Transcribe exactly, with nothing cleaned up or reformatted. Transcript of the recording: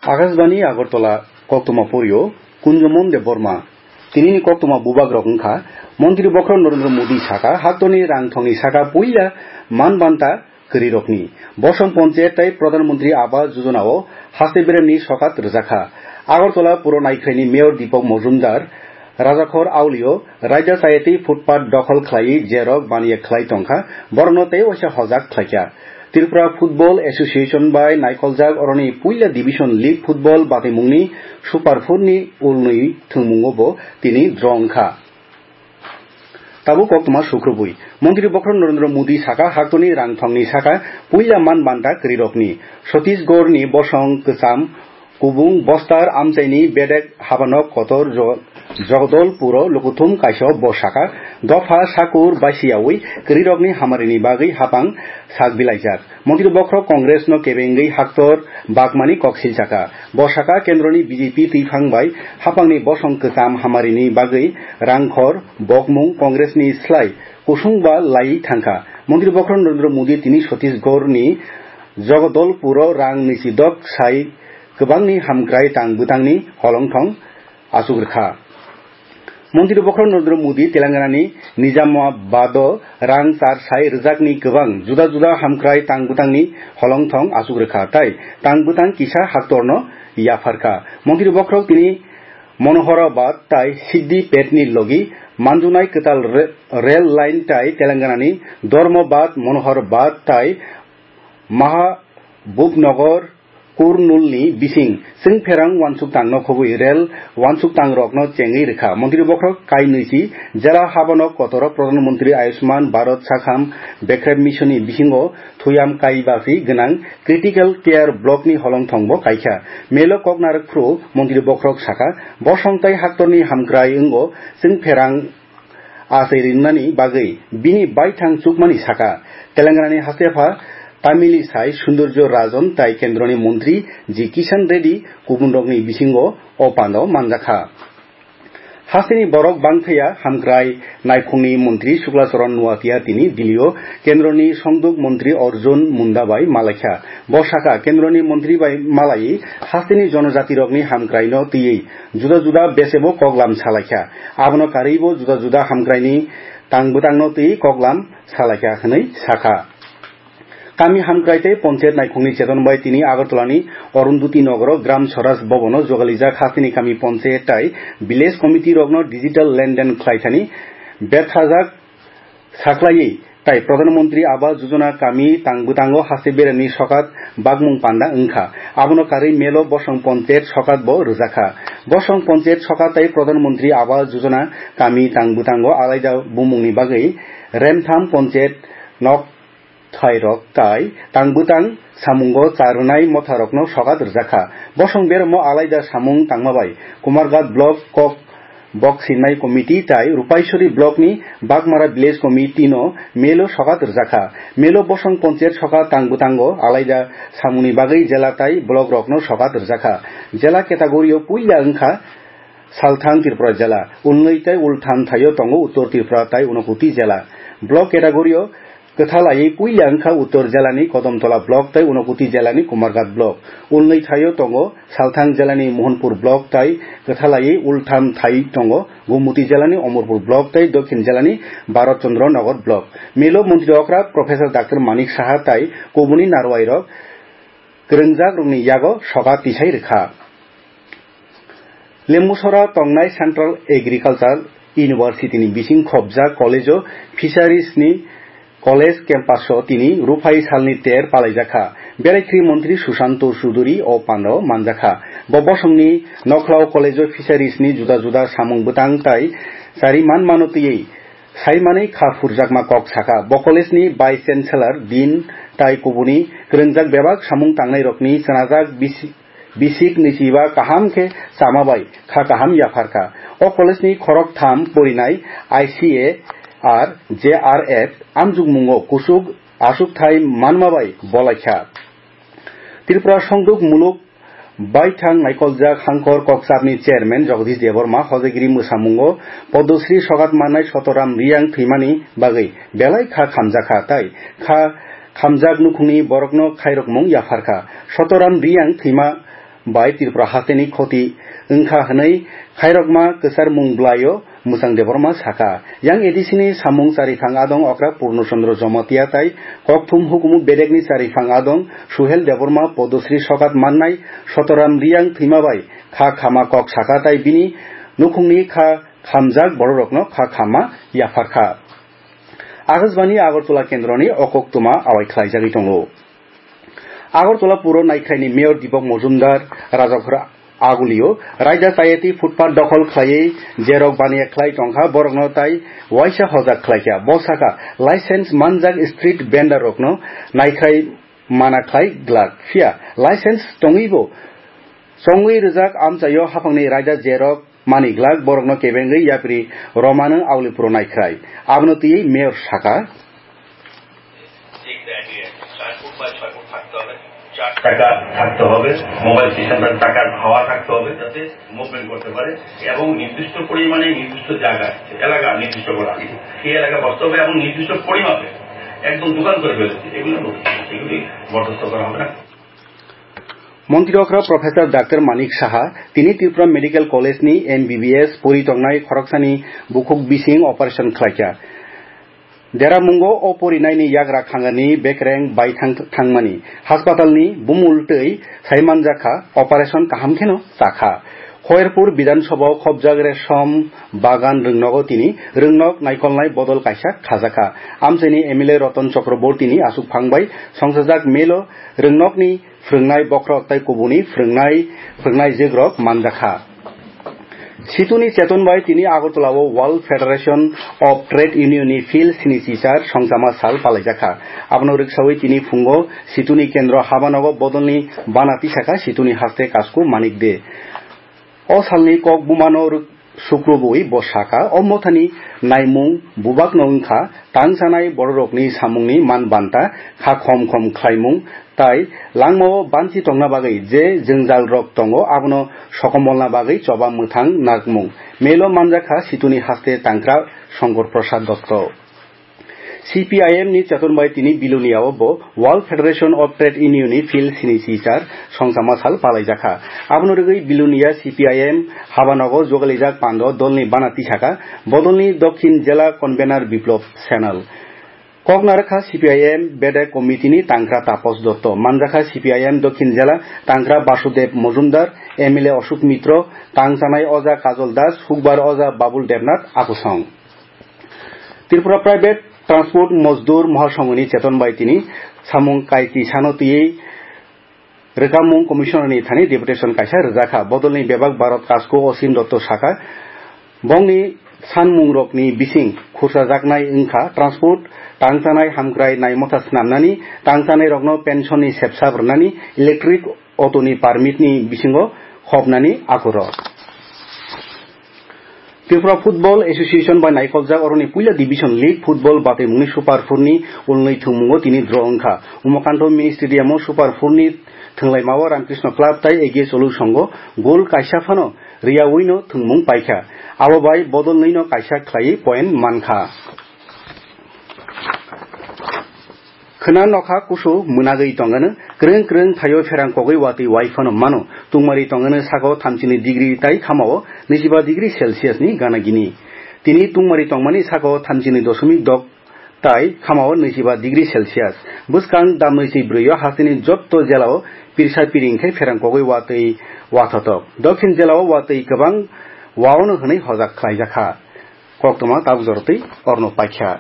Akashbani Agartala, koktwma porio Kunjomon Debbarma. Tinini koktwma bubagrok wngkha, Montri Bokhorok Narendra Modi saka, haktorni rang thongni saka puila man banta kwrwirokni. Bosong Ponchayat tei Pradhan Mantri Awas Yojana o haste beremni sokat rwjakha. Agartala puro naikhraini Mayor Deepak Majumdar, Rajakhor aulio raida chayatwi footpath dokhol khlaiwi jerok baniya khlai tongkha, borokno tei waisa hojak khlaikha. Tripura Football Association bai naikoljak oroni puila Division League Football batimungni Super Four ni ulnwi thwngmungo bo tini draw wngkha. Tabuk koktwma sukrubwi. Montri Bokhorok Narendra Modi saka, haktorni rang thongni saka puila man banta kwrwirokni. Chhattisgarhni bosong kwcham kubung bostar amchaini bedek habanok kotor jo-, Jagdalpuro lukuthum kaisa bo saka, dopha sakur baisiyawi kwrwirokni hamarini bagwi hapang sak bilaijak. Montri Bokhorok Congress no kebengwi haktor bakmani kok silsaka. Bo saka, kendroni B J P twiphang bai hapangni bosong kwcham hamarini bagwi rangkhor bokmung Congress ni slai kusung ba laiwi thangkha. Montri Bokhorok Narendra Modi tini Chhattisgarh ni Jagdalpuro rang nwichi dok sai kwbangni hamkrai tang bwtangni holongthong achuk rwkha. Montri Bokhorok Narendra Modi Telangana ni Nizamabad o rang char sai rwjakni kwbang juda juda hamkrai tang bwtangni holongthong achuk rwkha tei tang bwtang kisa haktorno yapharkha. Montri Bokhorok tini Manoharabad tai Siddipet ni logi manjunai kwtal re-, rail line tai Telangana ni Dharmabad, Manoharabad tai Mahabubnagar, Kurnool ni bising chwng pherang uansuk tang no khobwi rail uansuk tang rok no chengwi rwkha. Montri Bokhorok kai nwichi jela habano kotoro Pradhan Mantri Ayushman Bharat Sakham Bekrep Mission ni bisingo thuyam kai basi gwnang Critical Care Block ni holongthong bo kaikha. Melo kok narwk phuru Montri Bokhorok saka, bosong tai haktorni hamkrai wngo chwng pherang achai rinani bagwi bini baithang chukmani saka. Telangana ni hastepha Tamili sai Sundorjo Rajan tai kendroni montri G Kishan Reddy kubunrokni bisingo o pando manjakha. Hasteni borok bangthaya hamkrai naikhungni montri Sukla Charan Nuatia tini Dillio kendroni songduk montri Arjun Munda bai malaikha. Bo saka, kendroni montri bai malai hasteni jonojatirokni hamkraino twiwi juda juda besebo koklam salaikha. Abono karwibo juda juda hamkraini tang bwtangno twiwi koklam salaikha hwnwi sakha. Kami hamkrai tei ponchayat naikhungni cheton bai tini Agartalani Arundhati Nogoro Gram Swaraj Bhavan o jogalijak hasteni kami ponchayat tai village committee rokno digital lenden khlaithani bethajak saklaiwi tai Pradhan Mantri Awas Yojana kami tang bwtango haste beremni sokat bakmung panda wngkha. Abono karwi melo bosong ponchayat sokat bo rwjakha. Bosong ponchayat sokat tai Pradhan Mantri Awas Yojana kami tang bwtango alaida bumungni bagwi remtham ponchayat nok thairok tai tang bwtang samungo cha rwnai motharokno sokat rwjakha. Bosong beremo alaida samung tangma bai Kumarghat block kok bok sinai committee tai Rupaisori block ni Bagmara village committee no melo sokat rwjakha. Melo bosong ponchayat sokat tang bwtango alaida samungni bagwi jela tai block rokno sokat rwjakha. Jela category o puila wngkha Salthang Tripura jela, ulnwi tai ultham thaio tongo Uttor Tripura tai Unakoti jela. Block category o kwthalaiwi puila wngkha Uttor jelani Kodomtola block tai Unakoti jelani Kumarghat block. Ulnwi thaio tongo Salthang jelani Mohanpur block tai kwthalaiwi ultham thai tongo Gomoti jelani Omorpur block tai Dokhin jelani Bharat Chandra Nagar block. Milo montri okra Professor Doctor Manik Saha tai kubuni narwai rok kwrwngjak rokni yago sokat tisai rwkha. Lembusora tongnai Central Agriculture University ni bising khopjak college o Fisheries ni college campus o tini ruphai salni ter palaijakha. Berai khri montri Susanto Chuduri o pando manjakha. Bo bosongni nokhlao college o Fisheries ni juda juda samung bwtang tai chari man mano twiwi saimanwi kha phurjakma kok sakha. Bo college ni Vice Chancellor, Dean tai kubuni kwrwngjak bebak samung tangnai rokni chwnajak bisi-, bisik nwichiba kaham khe chama bai kha kaham yapharkha. O college ni khorok tham porinai I C A R, J R F amjukmungo kusuk asukthai manma bai bolaikha. Tripura Songduk Muluk Baithang naikoljak Hangkor Kokchapni chairman Jagadish Debbarma hojagiri mwsamungo Padmasri sokat mannai Sotoram Riyang thwimani bagwi belai kha khamjakha tai kha khamjak nukhungni borokno khairokmung yapharkha. Sotoram Riyang thwima bai Tripura hasteni khoti wngkha hwnwi khairokma kwcharmung bwlaio Mwchang Debbarma sakha. Yang A D C ni samung chariphang adong okra Purno Chandra Jamatia tai kokthum hukumu bedekni chariphang adong Suhel Debbarma Padmasri sokat mannai Sotoram Riyang thwima bai kha khama kok sakha tai bini nukhungni kha khamjak bororokno kha khama yapharkha. Akashbani Agartala kendroni o koktwma awai khlaijagwi tongo. Agartala puro naikhraini Mayor Deepak Majumdar Rajakhor Agulio raida tayati footpath dokhol khlaiwi jerok baniya khlai tongkha, borokno tai waisa hojak khlaikha. Bo sakha, license manjak street vendor rokno naikhrai mana khlai glak, phiya license tongwibo chongwi rijak amchaio haphangni raida jerok mani glak, borokno kebengwi yapri romano Aulipuro naikhrai. Abono twiwi Mayor sakha. চার ফুট বা ছয় ফুট থাকতে হবে, চার চাকা থাকতে হবে, mobile station তার চাকার হাওয়া থাকতে হবে, যাতে মুভমেন্ট করতে পারে এবং নির্দিষ্ট পরিমাণে নির্দিষ্ট জায়গায়, এলাকা নির্দিষ্ট করা, সেই এলাকা বসতে হবে এবং নির্দিষ্ট পরিমাপে একদম দোকান করে ফেলেছে, এগুলো বলছি, এগুলি বরদাস্ত করা হবে না। Montri okra Professor Doctor Manik Saha tini Tripura Medical College ni M B B S pori tongnai khoroksani bukhuk bising operation khlaikha. Deramungo o porinaini yagra khangani bekreng bai thang-, thangmani. Haspatalni bumul twi saimanjakha operation kaham kheno chakha. Khoyerpur Bidhan Sabha o khobjak Resom Bagan Rwngnogo tini Rwngnok naikolnai bodol kaisa khajakha. Amchaini M L A Ratan Chakraborty ni aswk phang bai songsajak melo Rwngnokni phwrwngnai bokhorok tai kubuni phwrwngnai, phwrwngnai jwkrok manjakha. Situni cheton bai tini Agartala o World Federation of Trade Union ni field sini chichar songchama sal palaijakha. Abono rwksawi tini phungo Situni kendro habanogo bodolni bana tisakha Situni haste Kasku Manik De. O salni kok bumano rwk-, sukrubuwi bo sakha, o mothani naimung bubakno wngkha tang chanai bororokni samungni man banta kha khom khom khlaimung tai langmao banchi tongna bagwi je jwngjalrok tongo, abono sokomolna bagwi choba mwthang narwkmung. Melo manjakha Situni haste tangkra Shankar Prasad Dotto. C P I M ni cheton bai tini Bilonia o bo World Federation of Trade Union ni field sini chichar songchama sal palaijakha. Abono rwgwi Bilonia C P I M habanogo jogalijak pando dolni bana tisakha, bodolni Dokhin Jela Convener Biplop Senal. Kok narwkha C P I M Bedek Committee ni tangkra Tapos Dotto, manjakha C P I M Dokhin Jela tangkra Basudev Mojumdar, M L A Ashok Mitro, tang chanai oja Kajol Das, hukbar oja Babul Debnath, akusong. Tripura Private Transport Mojdur Mohasonghoni cheton bai tini samung kaiti sano twiwi rwkamung Commissioner ni thani deputation kaisa rwjakha. Bodolni bebak Bharat Kasku Osim Dotto sakha, bongni sanmungrokni bising khursajaknai wngkha transport, tang chanai hamkrai naimotha snamnani, tang chanairokno pension ni sepsap rwnani, electric auto ni permit ni bisingo hopnani akurok. Tripura Football Association bai naikoljak oroni puila Division League Football batwimungni Super Four ni ulnwi thwngmungo tini draw wngkha. Umakanto Mini Stadium o Super Four ni thwnglaimao Ramkrishna Club tai A G S Olu Songho goal kaisa phano riyawino thwngmung paikha. Abo bai bodol nwino kaisa khlaiwi point mankha. Khwna nokha kusu mwnagwi tongano, kwrwng kwrwng thaio pherang kogwi watwi wai phano mano. Tungmari tongano sako thamchini degree tai khamao naichiba degree Celsius ni gana gini. Tini tungmari tongmani sako thamchini dosomik dok tai khamao naichiba degree Celsius. Bwskang damnwi si brwi o hasteni jotto jelao pirsa piring khe pherang kogwi watwi wathotok. Dokhin jelao watwi kwbang waono hwnwi hojak khlaijakha. Koktwma tabuk jorotwi orno paikha.